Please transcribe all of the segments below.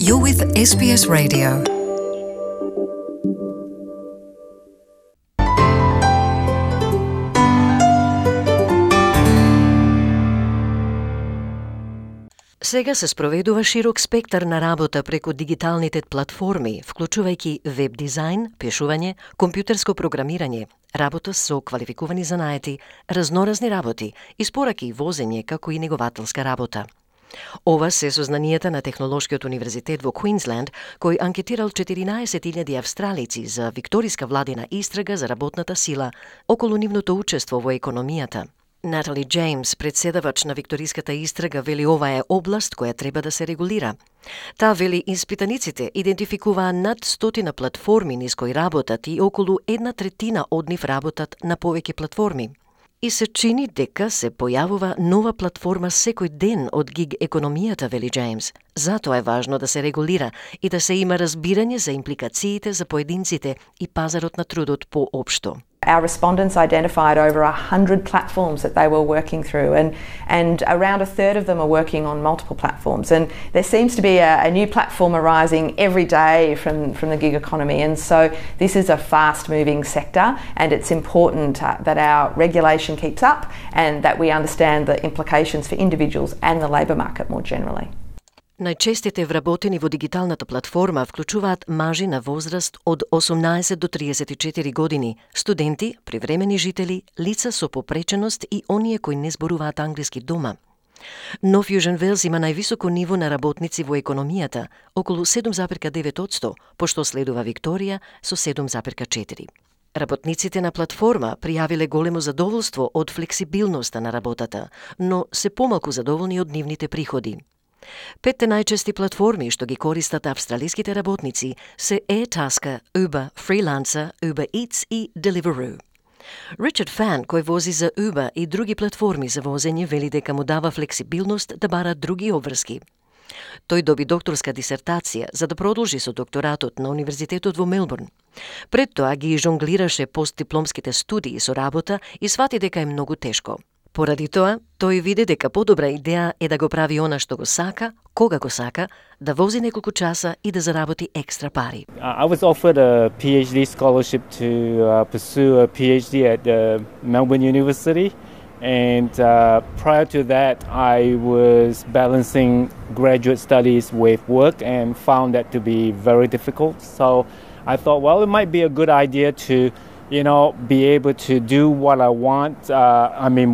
You're with SBS Radio. Сега се спроведува широк спектар на работа преку дигиталните платформи, вклучувајќи веб дизајн, пишување, компјутерско програмирање, работа со квалификувани занаети, разноразни работи, испораки и возење, како и негователска работа. Ова се сознанијата на Технолошкиот универзитет во Квинсленд, кој анкетирал 14.000 австралици за викториска владина истрага за работната сила околу нивното учество во економијата. Натали Джеймс, председавач на викториската истрага, вели ова е област која треба да се регулира. Таа вели испитаниците идентификуваа над 100 платформи низ кои работат и околу 1/3 од нив работат на повеќе платформи. И се чини дека се појавува нова платформа секој ден од гиг економијата, вели Джеймс. Затоа е важно да се регулира и да се има разбирање за импликациите за поединците и пазарот на трудот поопшто. Our respondents identified over 100 platforms that they were working through, and around a third of them are working on multiple platforms. And there seems to be a new platform arising every day from the gig economy. And so this is a fast-moving sector, and it's important that our regulation keeps up and that we understand the implications for individuals and the labour market more generally. Најчестите вработени во дигиталната платформа вклучуваат мажи на возраст од 18 до 34 години, студенти, привремени жители, лица со попреченост и оние кои не зборуваат англиски дома. Но Fusion Wales има највисоко ниво на работници во економијата, околу 7,9%, пошто следува Викторија со 7,4%. Работниците на платформа пријавиле големо задоволство од флексибилноста на работата, но се помалку задоволни од нивните приходи. 5 најчести платформи што ги користат австралиските работници се Airtasker, Uber, Freelancer, Uber Eats и Deliveroo. Ричард Фан, кој вози за Uber и други платформи за возење, вели дека му дава флексибилност да бара други обврски. Тој доби докторска дисертација за да продолжи со докторатот на Универзитетот во Мелбурн. Пред тоа ги жонглираше постдипломските студии со работа и свати дека е многу тешко. Поради тоа, тој види дека подобра идеја е да го прави она што го сака, кога го сака, да вози неколку часа и да заработи екстра пари. I was offered a PhD scholarship to pursue a PhD at Melbourne University, and prior to that I was balancing graduate studies with work and found that to be very difficult. So I thought, well, it might be a good idea to be able to do what I want,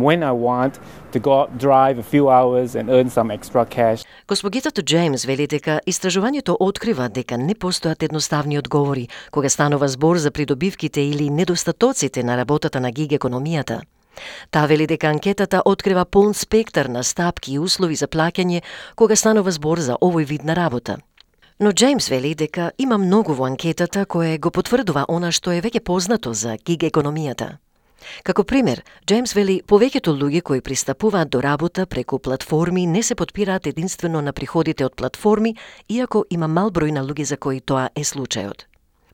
when I want, to go out, drive a few hours and earn some extra cash. Госпогицата Джеймс вели дека истражувањето открива дека не постојат едноставни одговори кога станува збор за придобивките или недостатоците на работата на гиг економијата. Таа вели дека анкетата открива полн спектар на стапки и услови за плаќање кога станува збор за овој вид на работа. Но Джеймс вели дека има многу во анкетата кое го потврдува она што е веќе познато за гиг економијата. Како пример, Джеймс вели повеќето луѓе кои пристапуваат до работа преку платформи не се потпираат единствено на приходите од платформи, иако има мал број на луѓе за кои тоа е случајот.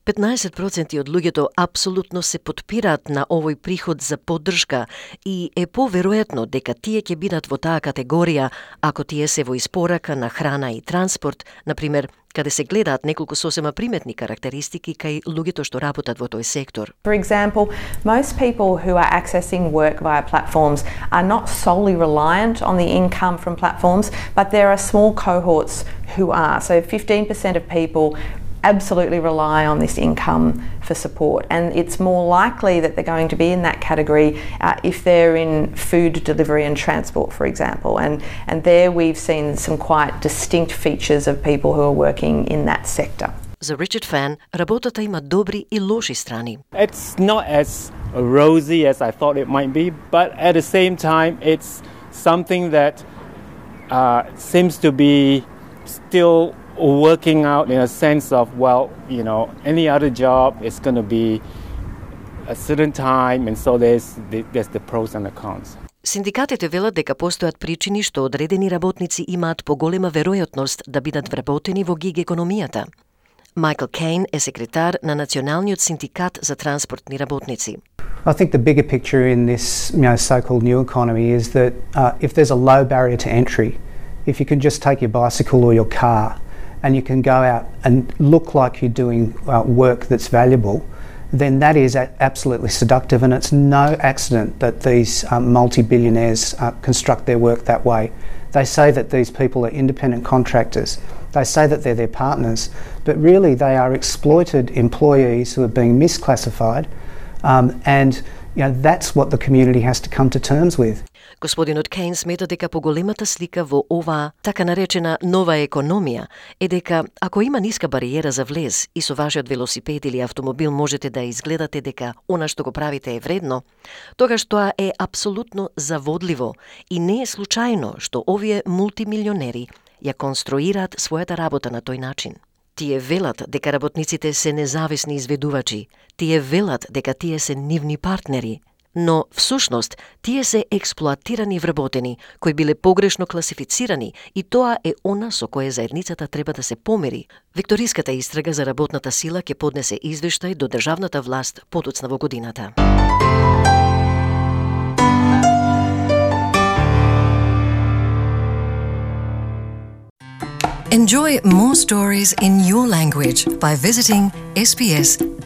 15% од луѓето апсолутно се потпираат на овој приход за поддршка и е поверојатно дека тие ќе бидат во таа категорија ако тие се во испорака на храна и транспорт, например, каде се гледаат неколку сосема приметни карактеристики кај луѓето што работат во тој сектор. For example, most people who are accessing work via platforms are not solely reliant on the income from platforms, but there are small cohorts who are. So 15% of people absolutely rely on this income for support, and it's more likely that they're going to be in that category if they're in food delivery and transport, for example, and there we've seen some quite distinct features of people who are working in that sector. За Ричард Фан, работата има добри и лоши страни. It's not as rosy as I thought it might be, but at the same time it's something that seems to be still working out in a sense of, any other job is going to be a certain time, and so there's the pros and the cons. Синдикатите велат дека постојат причини што одредени работници имаат поголема веројатност да бидат вработени во гиг економијата. Майкл Кейн е секретар на Националниот синдикат за транспортни работници. I think the bigger picture in this so-called new economy is that if there's a low barrier to entry, if you can just take your bicycle or your car and you can go out and look like you're doing work that's valuable, then that is absolutely seductive, and it's no accident that these multi-billionaires construct their work that way. They say that these people are independent contractors. They say that they're their partners, but really they are exploited employees who are being misclassified, and that's what the community has to come to terms with. Господинот Кейн смета дека поголемата слика во оваа така наречена нова економија е дека ако има ниска бариера за влез и со вашиот велосипед или автомобил можете да изгледате дека она што го правите е вредно, тогаш тоа е апсолутно заводливо и не е случајно што овие мултимилионери ја конструираат својата работа на тој начин. Тие велат дека работниците се независни изведувачи, тие велат дека тие се нивни партнери, но всушност тие се експлоатирани вработени кои биле погрешно класифицирани и тоа е она со кое заедницата треба да се помери. Викториската истрага за работната сила ќе поднесе извештај до државната власт подоцна во годината. Enjoy more stories in your language by visiting sbs.com.au.